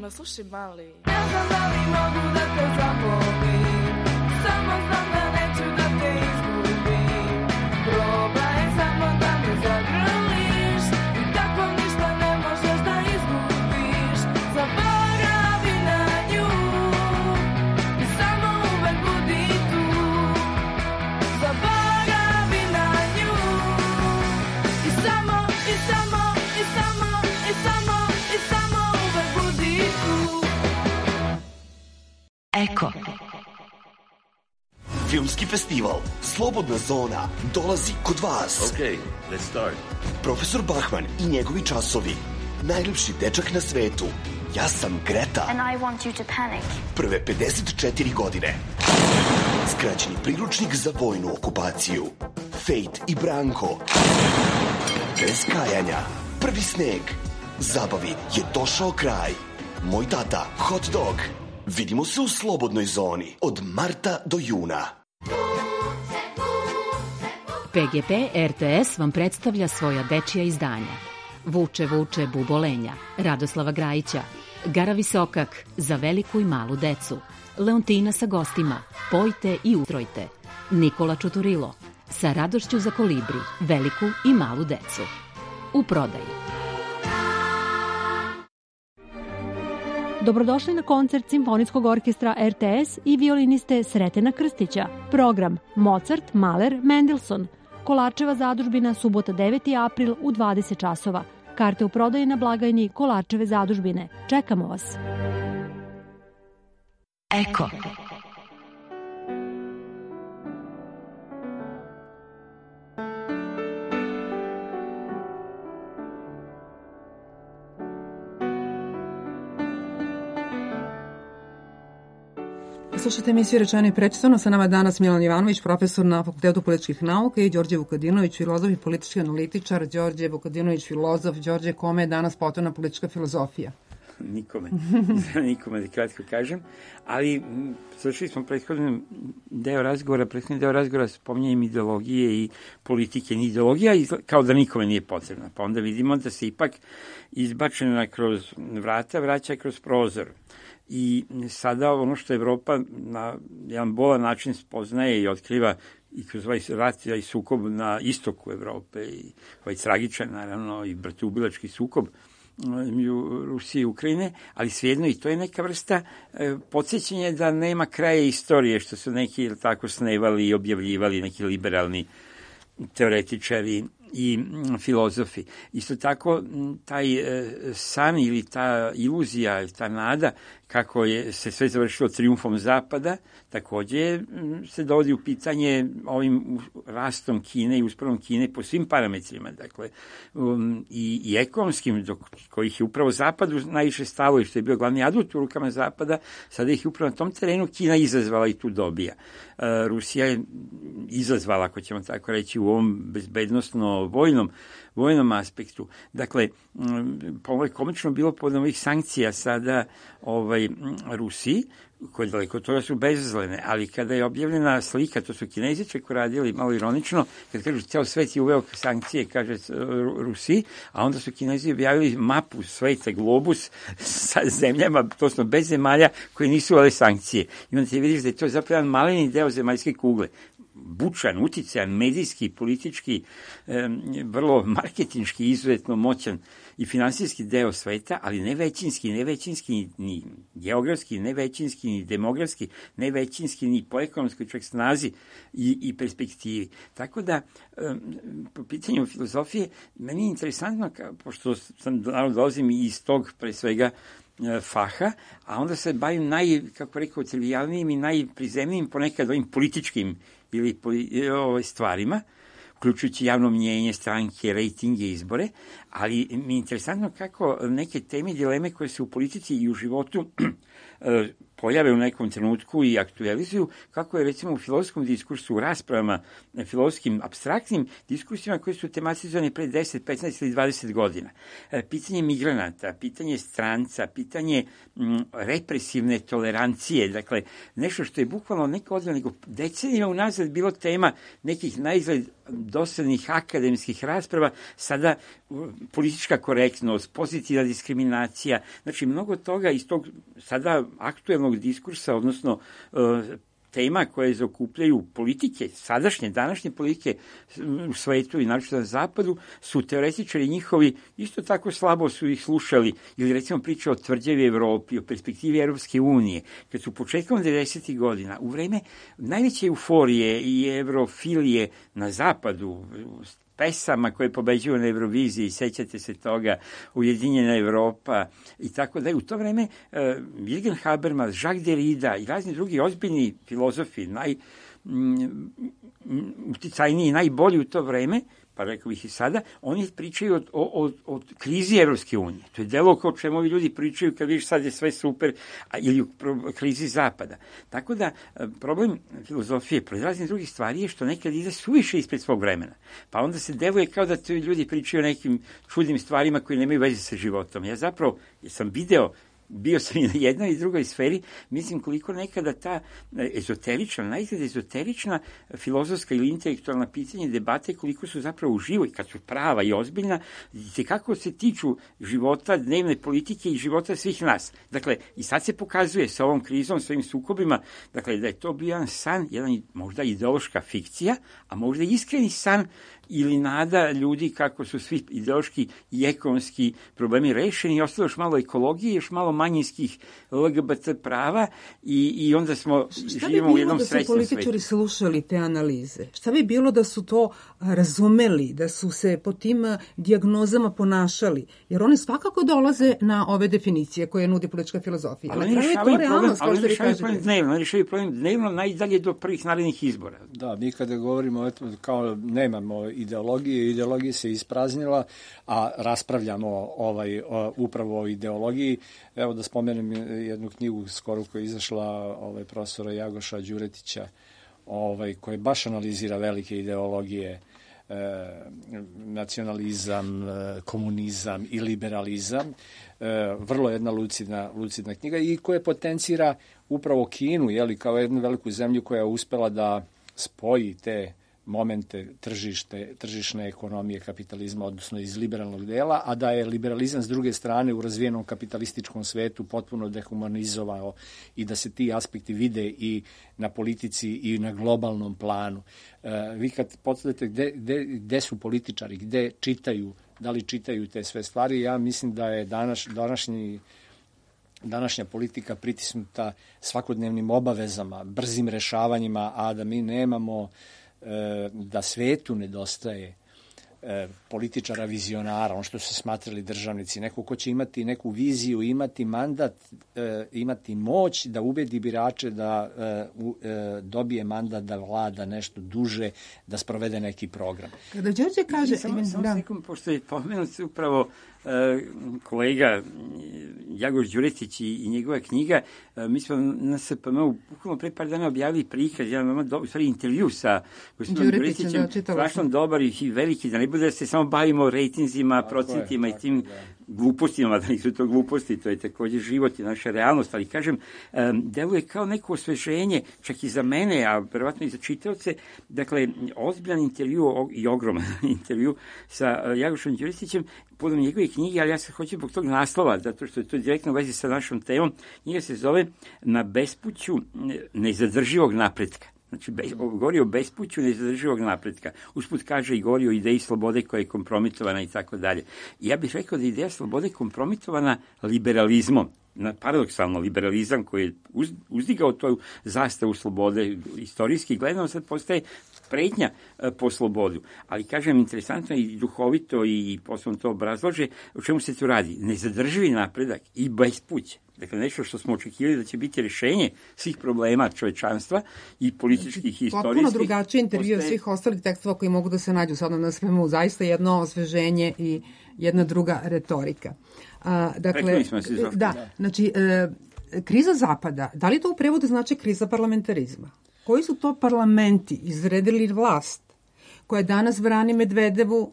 Slušaj, mali, ne znam da li mogu da te zabolim, samo znam da neću da te izgubim. Probaj samo da me zagrliš i tako ništa ne možeš da izgubiš. Zaboravi na nju i samo uvek budi tu. Zaboravi na nju i samo uvek budi tu. Eko. Filmski festival Slobodna zona dolazi kod vas. Okay, let's start. Profesor Bachman i njegovi časovi. Najljepši dečak na svetu. Ja sam Greta. And I want you to panic. Prve 54 godine. Skraćeni priručnik za vojnu okupaciju. Fate i Branko. Bez kajanja. Prvi sneg. Zabavi je došao kraj. Moj tata, hot dog. Vidimo se u Slobodnoj zoni od marta do juna. PGP RTS vam predstavlja svoja dečija izdanja. Vuče, vuče, bubolenja, Radoslava Grajića, Gara Visokak, za veliku i malu decu, Leontina sa gostima, Pojte i ustrojte, Nikola Čuturilo, sa radošću za kolibri, veliku i malu decu. U prodaji. Dobrodošli na koncert Simfonijskog orkestra RTS i violiniste Sretena Krstića. Program Mozart, Mahler, Mendelssohn. Kolarčeva zadužbina, subota 9. april u 20 časova. Karte u prodaji na blagajni Kolarčeve zadužbine. Čekamo vas. Eko. Slušajte emisiju Rečeno i prečitano. Sa nama danas Milan Jovanović, profesor na Fakultetu političkih nauka, i Đorđe Vukadinović, filozof i politički analitičar. Đorđe Vukadinović, filozof. Đorđe, kome je danas potrebna politička filozofija? Nikome, da kratko kažem, ali završili smo prethodni deo razgovora spominjanjem ideologije i politike. Ideologija kao da nikome nije potrebna, pa onda vidimo da se ipak izbačena kroz vrata vraća kroz prozor. I sada ono što Evropa na jedan bolan način spoznaje i otkriva i kroz ovaj rat i sukob na istoku Evrope i ovaj tragičan, naravno, i bratoubilački sukob Rusije i Ukrajine, ali svejedno i to je neka vrsta podsjećanja da nema kraja istorije, što su neki tako snevali i objavljivali neki liberalni teoretičari i filozofi. Isto tako, taj san ili ta iluzija, ta nada, kako je se sve završilo trijumfom Zapada, takođe se dovodi u pitanje ovim rastom Kine i uspravom Kine po svim parametrima, dakle, i ekonomskim, do kojih je upravo Zapadu najviše stalo i što je bio glavni adut u rukama Zapada, sada ih je upravo na tom terenu Kina izazvala i tu dobija. Rusija je izazvala, ako ćemo tako reći, u ovom bezbednosno-vojnom aspektu. Dakle, ovo je komično bilo pod ovih sankcija sada Rusiji, koje daleko od toga su bezazlene, ali kada je objavljena slika, to su Kinezi čak radili, malo ironično, kad kažu ceo svet je uveo sankcije, kaže Rusiji, a onda su Kinezi objavili mapu sveta, globus sa zemljama, tosno bez zemalja koje nisu uvele sankcije. I onda ti vidiš da je to zapravo jedan maleni deo zemaljske kugle. Bučan, uticajan, medijski, politički, vrlo marketinški, izuzetno moćan i finansijski deo sveta, ali ne većinski ni geografski, ne većinski ni demografski, ne većinski ni po ekonomskoj čak snazi i perspektivi. Tako da, po pitanju filozofije, meni je interesantno, pošto sam dolazim iz tog, pre svega, faha, a onda se bavim trivijalnijim i najprizemnijim ponekad ovim političkim ili stvarima, uključujući javno mnjenje, stranke, rejtinge, izbore, ali mi je interesantno kako neke teme i dileme koje se u politici i u životu pojave u nekom trenutku i aktualizuju, kako je recimo u filozofskom diskursu, u raspravama, filozofskim, apstraktnim diskursima koje su tematizovane pre 10, 15 ili 20 godina. Pitanje migranata, pitanje stranca, pitanje represivne tolerancije, dakle, nešto što je bukvalno neka odvijena, nego decenijima unazad bilo tema nekih najizgled dosadnih akademskih rasprava, sada politička korektnost, pozitivna diskriminacija, znači mnogo toga iz tog sada aktuelnog diskursa, odnosno tema koje zaokupljaju politike, sadašnje, današnje politike u svetu i naročito na zapadu, su teoretičari njihovi, isto tako slabo su ih slušali, ili recimo priča o tvrđavi Evropi, o perspektivi Evropske unije, kad su početkom 90. godina, u vreme najveće euforije i evrofilije na zapadu, pesama koje pobeđuju na Euroviziji, sećate se toga, Ujedinjena Evropa i tako da je u to vreme Jürgen Habermas, Jacques Derrida i razni drugi ozbiljni filozofi, najuticajniji, najbolji u to vreme, pa rekao bih i sada, oni pričaju o krizi Evropske unije. To je delo kao čemu ovi ljudi pričaju kad vidiš sad je sve super, ili o krizi Zapada. Tako da problem filozofije, pored raznih drugih stvari je što nekad ide suviše ispred svog vremena. Pa onda se deluje kao da ti ljudi pričaju o nekim čudnim stvarima koji nemaju veze sa životom. Ja zapravo sam bio sam i na jednoj i drugoj sferi, mislim koliko nekada ta najizgled ezoterična filozofska ili intelektualna pitanja debate, koliko su zapravo uživo i kad su prava i ozbiljna, kako se tiču života, dnevne politike i života svih nas. Dakle, i sad se pokazuje sa ovom krizom, sa ovim sukobima, dakle, da je to bio jedan san, jedan možda ideološka fikcija, a možda iskreni san ili nada ljudi kako su svi ideološki i ekonomski problemi rešeni i ostalo još malo ekologije, još malo manjinskih LGBT prava i onda živimo u jednom srećnom svetu. Šta bi bilo da su političari slušali te analize? Šta bi bilo da su to razumeli, da su se po tim dijagnozama ponašali? Jer one svakako dolaze na ove definicije koje nudi politička filozofija. Ali oni rešavaju problem dnevno najdalje do prvih narednih izbora. Da, mi kada govorimo kao nemamo ideologije se ispraznila, a raspravljamo upravo o ideologiji. Evo da spomenem jednu knjigu skoro koja je izašla profesora Jagoša Đuretića, koja baš analizira velike ideologije, nacionalizam, komunizam i liberalizam. Vrlo jedna lucidna knjiga i koja potencira upravo Kinu, kao jednu veliku zemlju koja je uspela da spoji te momente tržišne ekonomije kapitalizma, odnosno iz liberalnog dela, a da je liberalizam s druge strane u razvijenom kapitalističkom svetu potpuno dehumanizovao i da se ti aspekti vide i na politici i na globalnom planu. Vi kad postavite gde su političari, gde čitaju, da li čitaju te sve stvari, ja mislim da je današnja politika pritisnuta svakodnevnim obavezama, brzim rešavanjima, a da mi nemamo, da svetu nedostaje političara vizionara, ono što su smatrali državnici, neko ko će imati neku viziju, imati mandat, imati moć da ubedi birače da dobije mandat da vlada nešto duže, da sprovede neki program. Kada Đorđe kaže... Samo sekund, pošto je pomenut upravo kolega Jagoš Đuretić i njegova knjiga, mi smo na SPM-u bukvalno pre par dana objavili prikaz, intervju sa gospodinom Đuretićem, strašno dobar i veliki, da ne bude da se samo bavimo rejtinzima, procentima i tim glupostima, da nisu to gluposti, to je takođe život i naša realnost, ali kažem, deluje kao neko osveženje, čak i za mene, a verovatno i za čitaoce, dakle, ozbiljan intervju i ogroman intervju sa Jagošom Đuretićem, podom njegove knjige, ali ja se hoću zbog tog naslova, zato što je to direktno u vezi sa našom temom. Knjiga se zove Na bespuću nezadrživog napretka. Znači, govori o bespuću nezadrživog napretka. Usput kaže i govori o ideji slobode koja je kompromitovana i tako dalje. Ja bih rekao da je ideja slobode kompromitovana liberalizmom. Paradoksalno, liberalizam koji je uzdigao tu zastavu slobode, istorijski gledano, sad postaje pretnja po slobodu. Ali, kažem, interesantno i duhovito i posle to obrazlože, o čemu se tu radi. Nezadrživi napredak i bespuće. Dakle, nešto što smo očekivali da će biti rješenje svih problema čovečanstva i političkih i istorijskih. Potpuno drugačiji intervju od svih ostalih tekstova koji mogu da se nađu sada na svemu. Zaista jedno osveženje i jedna druga retorika. Dakle, znači, kriza Zapada, da li to u prevodu znači kriza parlamentarizma? Koji su to parlamenti izredili vlast koja danas brani Medvedevu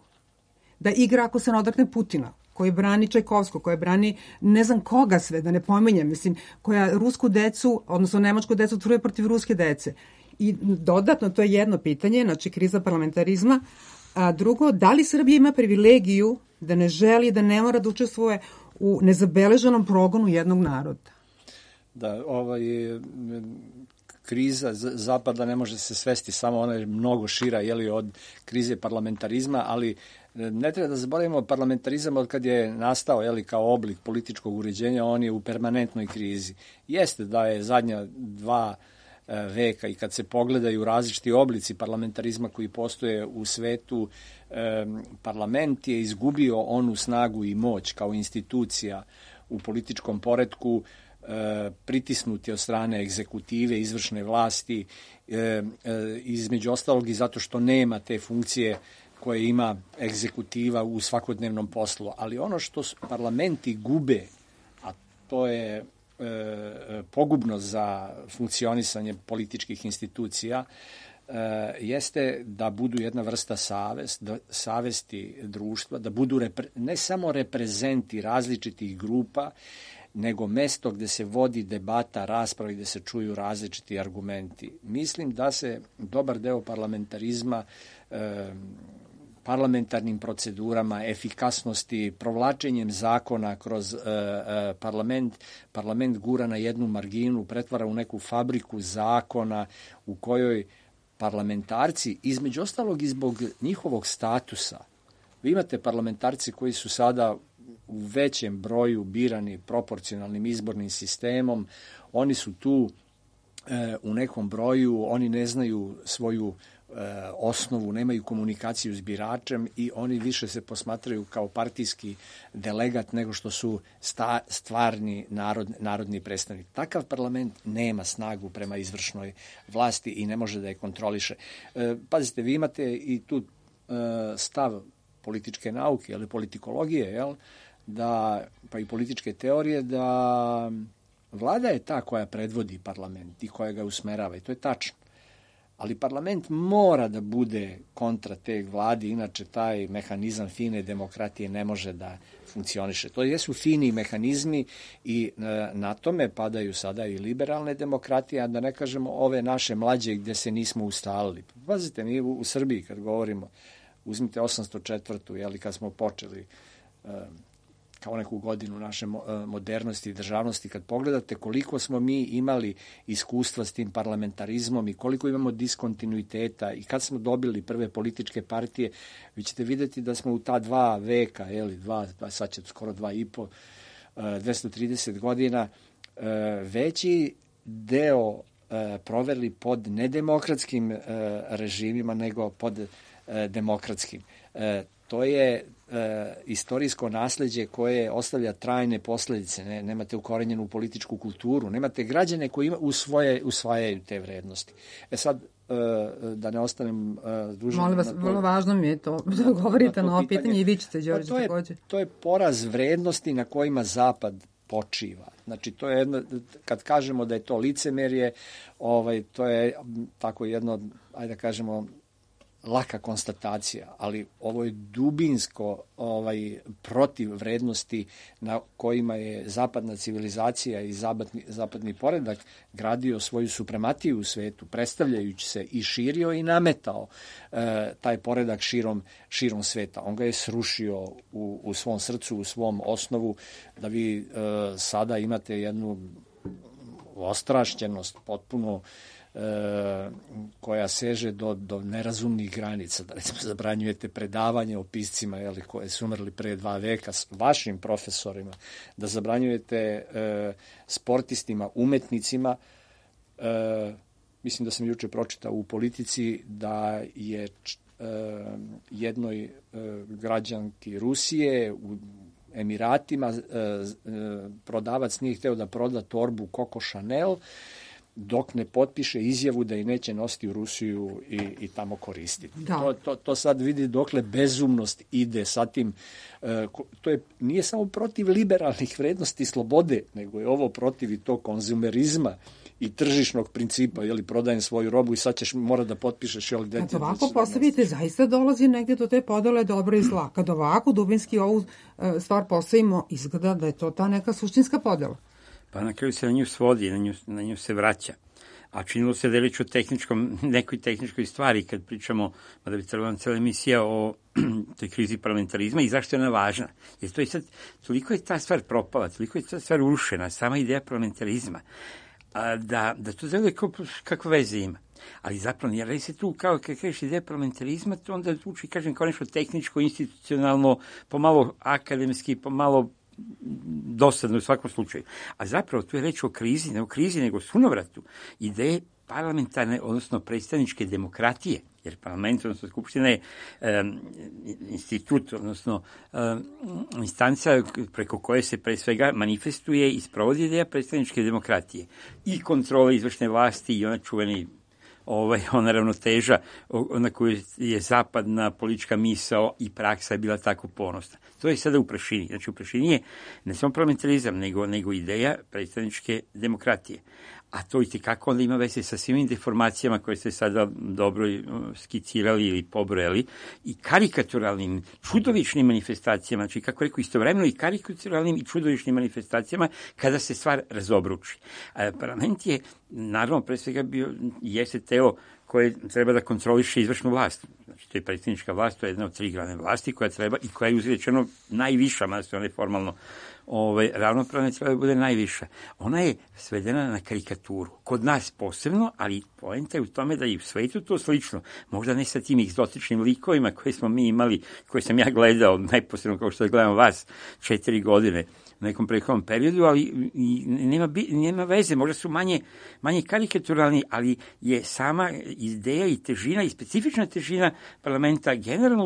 da igra ako se ne odakne Putina, koji brani Čajkovskog, koja brani ne znam koga sve, da ne pominjem, mislim, koja rusku decu, odnosno nemačku decu truje protiv ruske dece. I dodatno, to je jedno pitanje, znači kriza parlamentarizma, a drugo, da li Srbija ima privilegiju da ne želi, da ne mora da učestvuje u nezabeleženom progonu jednog naroda? Da, kriza Zapada ne može se svesti samo, ona je mnogo šira od krize parlamentarizma, ali ne treba da zaboravimo parlamentarizam od kad je nastao kao oblik političkog uređenja, on je u permanentnoj krizi. Jeste da je zadnja 2 veka i kad se pogledaju različiti oblici parlamentarizma koji postoje u svetu, parlament je izgubio onu snagu i moć kao institucija u političkom poretku, pritisnuti od strane egzekutive, izvršne vlasti, između ostalog i zato što nema te funkcije koje ima egzekutiva u svakodnevnom poslu. Ali ono što parlamenti gube, a to je pogubno za funkcionisanje političkih institucija, jeste da budu jedna vrsta savesti društva, da budu ne samo reprezenti različitih grupa, nego mesto gde se vodi debata, rasprava i gde se čuju različiti argumenti. Mislim da se dobar deo parlamentarizma parlamentarnim procedurama, efikasnosti, provlačenjem zakona kroz parlament gura na jednu marginu, pretvara u neku fabriku zakona u kojoj parlamentarci, između ostalog i zbog njihovog statusa, vi imate parlamentarci koji su sada u većem broju birani proporcionalnim izbornim sistemom, oni su tu u nekom broju, oni ne znaju svoju osnovu, nemaju komunikaciju s biračem i oni više se posmatraju kao partijski delegat nego što su stvarni narodni predstavnik. Takav parlament nema snagu prema izvršnoj vlasti i ne može da je kontroliše. Pazite, vi imate i tu stav političke nauke, ali politikologije, pa i političke teorije, da vlada je ta koja predvodi parlament i koja ga usmerava i to je tačno. Ali parlament mora da bude kontra te vladi, inače taj mehanizam fine demokratije ne može da funkcioniše. To jesu fini mehanizmi i na tome padaju sada i liberalne demokratije, a da ne kažemo ove naše mlađe gde se nismo ustalili. Pazite, mi u Srbiji kad govorimo, uzmite 804. Jeli, kad smo počeli kao neku godinu naše modernosti i državnosti, kad pogledate koliko smo mi imali iskustva s tim parlamentarizmom i koliko imamo diskontinuiteta i kad smo dobili prve političke partije, vi ćete vidjeti da smo u ta 2 veka, sad će skoro 2,5, 230 godina, veći deo proveli pod nedemokratskim režimima nego pod demokratskim. To je istorijsko nasleđe koje ostavlja trajne posledice. Nemate ukorenjenu političku kulturu, nemate građane koji usvajaju te vrednosti. Sad, da ne ostanem dužan... Molim vas, vrlo važno mi je to da govorite na ovo pitanje i vi ćete, Đorđe, takođe. To je poraz vrednosti na kojima Zapad počiva. Znači, to je jedno, kad kažemo da je to licemerje, to je tako jedno, ajde da kažemo, laka konstatacija, ali ovo je dubinsko protiv vrednosti na kojima je zapadna civilizacija i zapadni poredak gradio svoju suprematiju u svetu, predstavljajući se i širio i nametao taj poredak širom sveta. On ga je srušio u svom srcu, u svom osnovu, da vi sada imate jednu ostrašćenost potpuno koja seže do nerazumnih granica. Da recimo zabranjujete predavanje o piscima koje su umrli pre 2 veka s vašim profesorima, da zabranjujete sportistima, umetnicima. Mislim da sam juče pročitao u Politici da je jednoj građanki Rusije u Emiratima prodavac nije hteo da proda torbu Coco Chanel dok ne potpiše izjavu da je neće nositi u Rusiju i tamo koristiti. Da. To sad vidi dokle bezumnost ide sa tim. Nije samo protiv liberalnih vrednosti i slobode, nego je ovo protiv i tog konzumerizma i tržišnog principa, prodajem svoju robu i sad ćeš mora da potpišeš. Kad ovako postavite, zaista dolazi negdje do te podele dobro i zla. Kad ovako dubinski ovu stvar postavimo, izgleda da je to ta neka suštinska podela. Pa na kraju se na nju svodi, na nju se vraća. A činilo se da je reč o nekoj tehničkoj stvari kad pričamo, mada bi trebala cijela emisija o toj krizi parlamentarizma i zašto je ona važna. Jer to je sad, toliko je ta stvar propala, toliko je ta stvar urušena, sama ideja parlamentarizma, da to zeluje kako veze ima. Ali zapravo, jer se tu, kao kad kažeš ideja parlamentarizma, to onda uči, kažem, kao nešto tehničko, institucionalno, pomalo akademski, pomalo dosadno u svakom slučaju. A zapravo tu je reč o krizi, ne o krizi, nego sunovratu ideje parlamentarne, odnosno predstavničke demokratije, jer parlament, odnosno skupština je institut, odnosno instanca preko koje se pre svega manifestuje i sprovodi ideja predstavničke demokratije i kontrole izvršne vlasti i ona čuveni ona ravnoteža na koju je zapadna politička misao i praksa je bila tako ponosna. To je sada u prašini. Znači, u prašini je ne samo parlamentarizam, nego ideja predstavničke demokratije. A to i kako onda ima veze sa svim deformacijama koje ste sada dobro skicirali ili pobrojali i karikaturalnim, čudovišnim manifestacijama, znači kako rekao, istovremeno i karikaturalnim i čudovišnim manifestacijama kada se stvar razobruči. Parlament je, naravno, pre svega jeste telo koje treba da kontroliše izvršnu vlast. Znači, to je predsjednička vlast, to je jedna od 3 glavne vlasti koja treba i koja je uzrečeno najviša, mada se ona je formalno ravnopravna, treba da bude najviša. Ona je svedena na karikaturu. Kod nas posebno, ali poenta je u tome da je u svetu to slično. Možda ne sa tim egzotičnim likovima koje smo mi imali, koje sam ja gledao, najposebno kao što gledam vas 4 godine u nekom prethodnom periodu, ali nema veze, možda su manje karikaturalni, ali je sama ideja i težina i specifična težina parlamenta generalno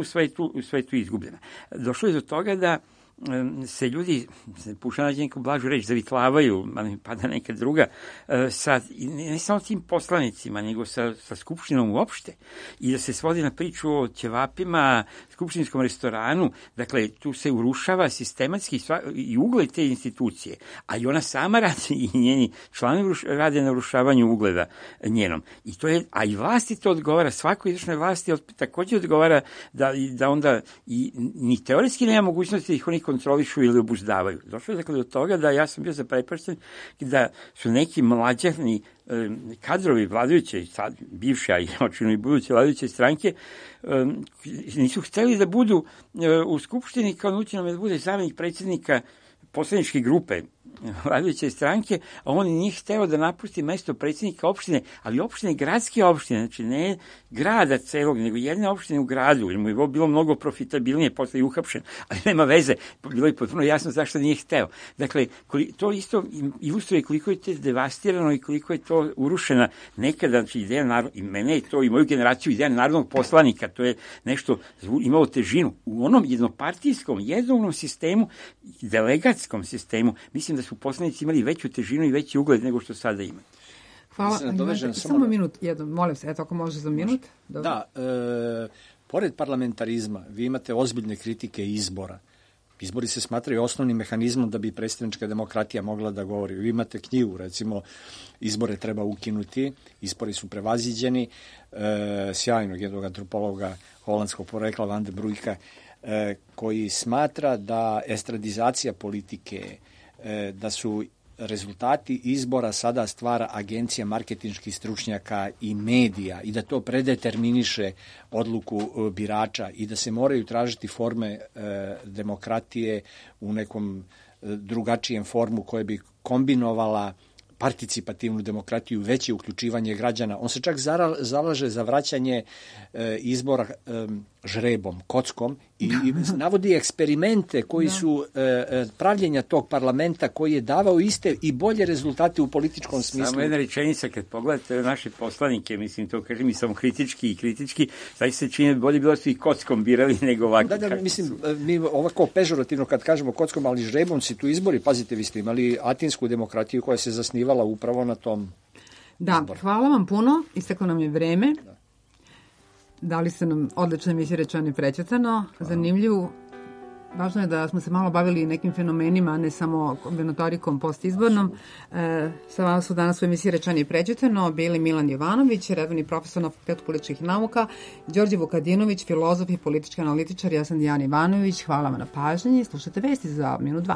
u svetu izgubljena. Došlo je do toga da se ljudi, pušao nađe neku blažu reč, zavitlavaju, ali mi pada neka druga, sa, ne samo tim poslanicima, nego sa Skupštinom uopšte, i da se svodi na priču o ćevapima, skupštinskom restoranu, dakle, tu se urušava sistematski i ugled te institucije, a i ona sama radi i njeni članovi rade na urušavanju ugleda njenom. I to je, a i vlasti to odgovara, svakoj izvršnoj vlasti takođe odgovara da onda i ni teoretski nema mogućnosti da ih oni kontrolišu ili obuzdavaju. Došlo je dakle do toga da ja sam bio zaprepašten da su neki mlađani kadrovi vladajuće, sad bivše, a i očinu i buduće vladajuće stranke, nisu hteli da budu u Skupštini, kao nućeno da bude zamenik predsjednika poslaničke grupe vladajuće stranke, a on nije hteo da napusti mesto predsjednika opštine, ali opštine, gradske opštine, znači ne grada celog, nego jedne opštine u gradu, jer mu je bilo mnogo profitabilnije, posle je uhapšen, ali nema veze, bilo je potpuno jasno zašto nije hteo. Dakle, to isto ilustruje koliko je to devastirano i koliko je to urušena nekada, znači ideja narodnog, i mene je to, i moju generaciju, ideja narodnog poslanika, to je nešto imalo težinu. U onom jednopartijskom, jednoumnom sistemu, delegatskom sistemu, mislim da su poslanici imali veću težinu i veći ugled nego što sada imaju. Hvala. Samo minut, molim se, eto ako može za minut. Dobro. Da, pored parlamentarizma, vi imate ozbiljne kritike izbora. Izbori se smatraju osnovnim mehanizmom da bi predstavnička demokratija mogla da govori. Vi imate knjigu, recimo, izbore treba ukinuti, izbori su prevaziđeni, sjajnog jednog antropologa holandskog porekla Van de Brujka, koji smatra da estradizacija politike, da su rezultati izbora sada stvara agencija marketinških stručnjaka i medija i da to predeterminiše odluku birača i da se moraju tražiti forme demokratije u nekom drugačijem formu koje bi kombinovala participativnu demokratiju, veće uključivanje građana. On se čak zalaže za vraćanje izbora žrebom, kockom i navodi eksperimente koji su pravljenja tog parlamenta koji je davao iste i bolje rezultate u političkom smislu. Samo jedna rečenica, kad pogledate naše poslanike, mislim, to kažem i samo kritički, znači se čini bolje bilo su i kockom birali nego ovako. Da, mislim, mi ovako pežorativno kad kažemo kockom, ali žrebom si tu izbori, pazite, vi ste imali atinsku demokratiju koja se zasnivala upravo na tom izboru. Hvala vam puno, isteklo nam je vreme. Dali ste nam odlične emisije Rečeno i prećutano, zanimljivu. Važno je da smo se malo bavili nekim fenomenima, a ne samo kombinatorikom postizbornom. Sa vama su danas u emisiji Rečeno i prećutano bili Milan Jovanović, redovni profesor na Fakultetu političkih nauka, Đorđe Vukadinović, filozof i politički analitičar, ja sam Dijana Ivanović. Hvala vam na pažnji. Slušajte vesti za minut 2.